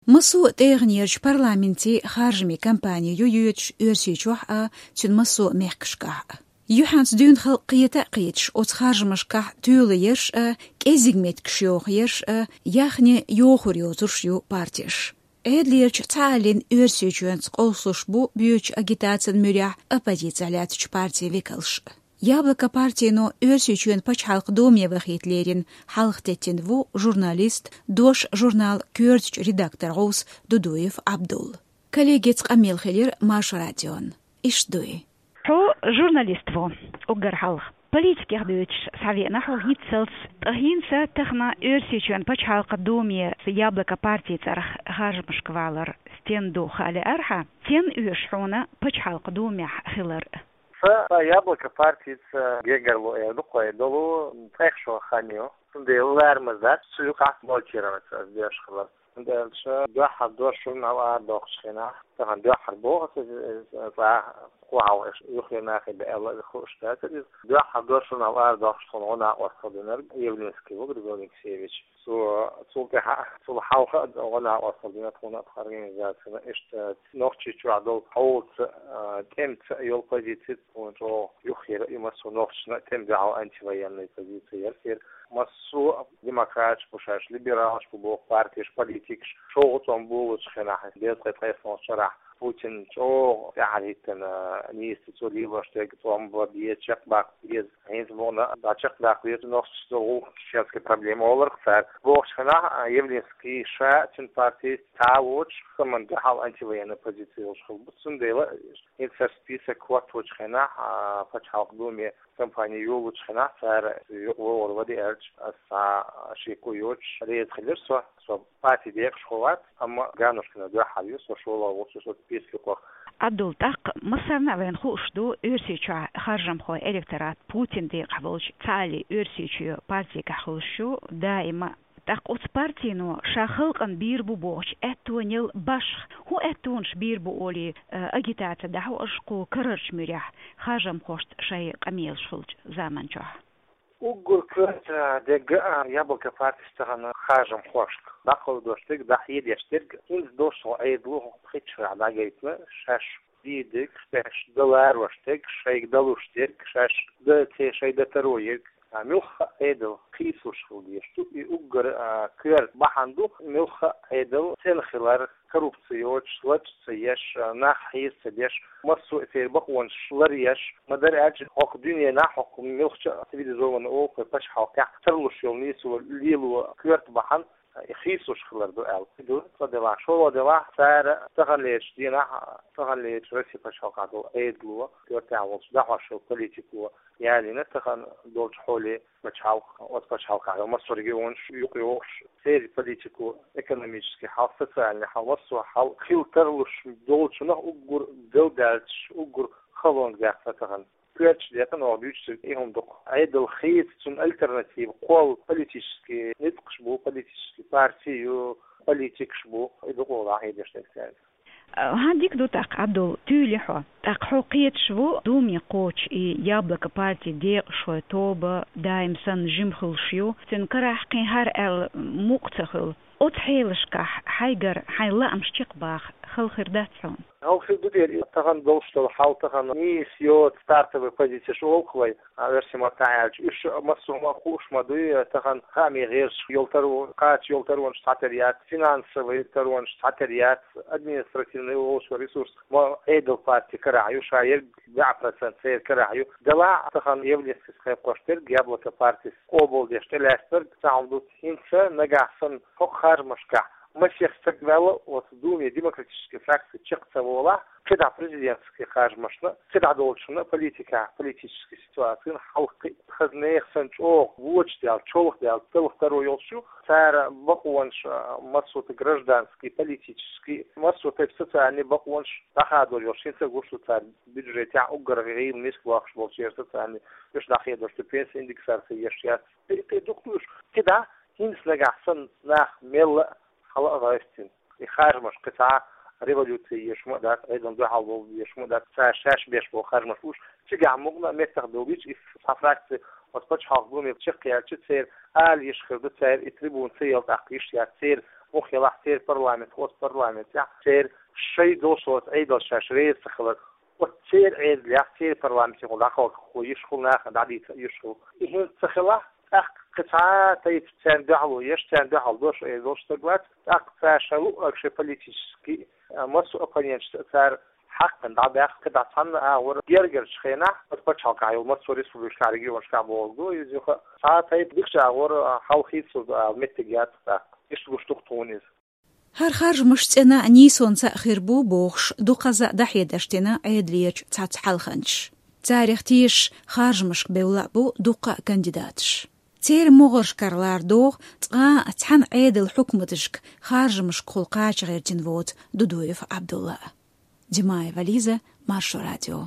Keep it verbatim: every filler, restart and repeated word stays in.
Массо а тӀегӀанерчу парламентийн харжамийн кампани ю йоьдуш Оьрсийчохь а, цуьнан массо а мехкашкахь а. Юьхьанца дуьйна халкъ кхета а кхеташ, оцу харжамашкахь тоьлаерш а, кӀеззиг меттигаш йохаерш а, яхне йохор йоцурш ю партеш. Ӏедалерчу цхьааллин Оьрсийчоьнца къовсалуш бу боьдучу агитацин муьрехь оппозицехь лаьттачу партийн векалш а. «Яблоко» партино Оьрсийчоьнан пачхьалкхан Думе вахийта лерина хьалха теттина ву журналист, «Дош» журнал коьртачу редактор гӀовс Дудуев Ӏабдул. Коллегаца къамел хилира Маршо радион. Иштта дуй. Хьо журналист ву, уггар хьалха. Политикех дуьйцуш схьавеана хьо хӀинццалц, ткъа хӀинца тахана Оьрсийчоьнан пачхьалкхан Думе «Яблоко» партин цӀарах харжамашка валар стен ду хаа лаьара хьан? Стен оьшу хьуна пачхьалкхан Думехь хилар? Сан «Яблоко» партица гергарло эр ду-кх вай долу ткъех шо хан ю. Цундела ларамаза дац цу юкъахь баллотироваться ас деш хилар. ХӀунда аьлча дуьххьара «Дош» журнал арадоккхучу хенахь, тахана дуьххьара боху аса иза, иза цкъа кхо хьалха юххера нахе бен аьлла хууш дац иза. Дуьххьара «Дош» журнал арадоккхучу хенахь гӀо накъосталла динарг Явлинский ву, Григорий Алексеевич. Цо, цул тӀаьхьа, цул хьалха а гӀо накъосталла дина тхуна а, тхан организацина. Иштта Нохчийчохь долу хьолаца а, тӀемаца а йолу позици тхуна чӀогӀа юххера а ю, массо а нохчашна а тӀеман дуьхьал антивоенная позиция яра церан. Массо а демократаш бу шаьш, либералаш бу боху партеш, политикаш, шолгӀа цӀом болучу хенахь, дезткъе ткъайоьсналгӀачу шарахь Путин чӀогӀа тӀаьхьара хӀиттина, нийса цо лелош дерг цӀом бан беза, чекхбаккха беза. ХӀинца боху, дӀа чекхдаккха веза нохчашца долу гӀуллакх, чеченский проблема олург цара. Бохучу хенахь а Явлинский ша а, цуьнан партис цхьа а воцуш, саман дуьхьал антивоенная позиция йолуш хилла бу. Цундела хӀинца список хӀотточу хенахь а, пачхьалкхан Думе кампани йолучу хенахь цара юкъа вогӀур вади аьлча, аса цхьа шеко йоцуш реза хилира со. Со партин декъашхо вац, амма Ганнушкина дуьххьара ю, со шолгӀа воцуш оцу списке юкъахь. Ӏабдул, тӀаккха массарна а вайна хууш ду, Оьрсийчохь харжамхойн электорат Путинан декъахь болчу цхьааллин Оьрсийчоь партигахь хуьлуш ю даима. ТӀаккха оцу партино ша халкъана бийр бу бохучу аьттонел башха хӀун аьттонаш бийр бу олий, а, агитаци дӀахьо аша кху карарчу муьрехь, харжамхошца шайн къамелаш хуьлучу заман чохь? Уггар коьрта дерг а «Яблоко» партис тахана харжамхошка дӀакховдош дерг, дӀахьедеш дерг, хӀинца долуш долу Ӏедало хӀокху пхийтта шарахь дӀагайтина, шаьш дийр дерг, шаьш дан ларош дерг, шайга далуш дерг, шаьш дан ца, шайн дан таро ерг. А муьлхха а Ӏедал хийцалуш хила дезаш ду. И уггар а коьрта бахьана ду, муьлхха а Ӏедал цӀена хилар, коррупци йоцуш, лачкъа ца еш, а, нах хьийза ца деш, массо а церан бакъонаш ларъеш, ма-дарра аьлча, хӀокху дуьненахь, хӀокху муьлххачу а цивилизованни олу-кх вай пачхьалкхехь, тарлуш йолу нийсо лело коьрта бахьана, а, и хийцалуш хилар ду аьлла. И ду цкъа делахь, шолгӀа делахь, цара таханлерчу дийнахь, таханлерчу Россин пачхьалкхехь долу Ӏедало, коьртехь волчу дӀахьош йолу политико ялийна тахана долчу хьоле пачхьалкх, оцу пачхьалкхехь йолу массо а регионаш юкъайогӀуш, церан политико, экономический хьал, социальный хьал, массо а хьал хила тарлуш долчунах уггар галдаьллачу, уггар халонга даьккхина тахана. Коьртачу декъана оха дуьйцург и хӀума ду-кх. Ӏедал хийца, цунна альтернатива кхолла политический ницкъаш бу, политический парти ю, политикаш бу, и ду-кх оха дӀахьедеш дерг цаьрга. ХӀан, дика ду тӀаккха, Ӏабдул, туьйли хьо. ТӀаккха хьо кхеташ ву, Думе кхочу и «Яблоко» партин декъашхойн тоба даим санна жима хуьлуш ю, цуьнан карахь кхин хӀара аьлла мукъа ца хуьлу. Оцу хьелашкахь хьайгара хьайн лаамаш чекхбаха хала хир дац хьуна? Хала хир ду дера, и тахана долуш долу хьал тахана нийса йоцу стартовый позицеш олу-кх вай, а, оьрсийн маттахь аьлча. Уьш массо а хӀума хууш ма дуй, тахана хаамийн гӀирсашкахь йолу таро-, кхача йолу таронаш цхьатерра яц, финансовый таронаш цхьатерра яц, административный олуш йолу ресурс ма Ӏедал партин карахь ю, ша ерг бӀе процент церан карахь ю. Делахь а тахана Явлинскийс кхайкхош дерг, «Яблоко» партис къобалдеш тӀелаьцнарг цхьа хӀума ду, хӀинца нагахь санна хӀокху харжамашкахь масех стаг ваьлла оцу Думе демократический фракци чекх ца волахь, кхидӀа президентский харжамашна, кхидӀа долчунна политикехь, политический ситуацина хьалха кхин а хаза нехан санна чӀогӀа вочу даьлла, чолху даьлла, талха таро йолуш ю. Цара бакъонаш, а, массо а гражданский, политический, массо а тайпа социальный бакъонаш дӀахадор йолуш. ХӀинца а гуш ду цара бюджетехь уггар гӀийла миска лохуш болчеран социальный, уьш дӀахедош ду, пенсийн индексация еш яц. Кхин, кхин дукха ду уьш. КхидӀа, хӀинца нагахь санна нах мелла а хьала а гӀевттина. И харжамаш кхин цхьа революци еш хӀума а дац, Ӏедална дуьхьал волу еш хӀума а дац, цара шаьш беш болу харжамаш бу уьш. Цигахь мукъана а меттах довлийча, и цхьа фракци оцу пачхьалкхан Думе чекхъяьлча, церан ала йиш хир ду, цара и трибуна ца елла тӀаккха йиш яц, церан Мух елахь церан парламент, оцу парламентехь церан шайн долуш долчу Ӏедалца шаьш реза ца хилар. Оцу церан Ӏедалехь, церан парламентехула дӀакхалхахо йиш хуьлу, нахана дӀадийца йиш хуьлу. И хӀинца ца хилахь, тӀаккха кхин цхьа а тайпа царна дуьхьало еш, царна дуьхьал дош эр долуш стаг вац, тӀаккха цара шайн луъург шайн политически, а, массо а оппоненташца цара хьаькхна дӀабаьхна, кхин дӀа цхьанна агӀор гергарчу хенахь, оцу пачхьалкхехь йолу массо а республикашкахь, регионашкахь бохург ду иза, юха цхьа а тайпа дикачу агӀор, а, хьал хийцалур ду ала меттиг яц тӀаккха. Иштта гуш ду-кх тхуна иза. ХӀара харжамаш цӀена а, нийсонца а хир бу бохуш, дукхазза а дӀахьедарш дина Ӏедалерчу цхьацца хьалханчаша. Царах тешаш харжамашка бевлла а бу дуккха а кандидаташ. Церан могӀаршкара лардоху цкъа а цхьана Ӏедалан хьукматашка харжамашкахула кхача гӀиртина воцу Дудуев Ӏабдулла. Димаева Лиза, Маршо радио.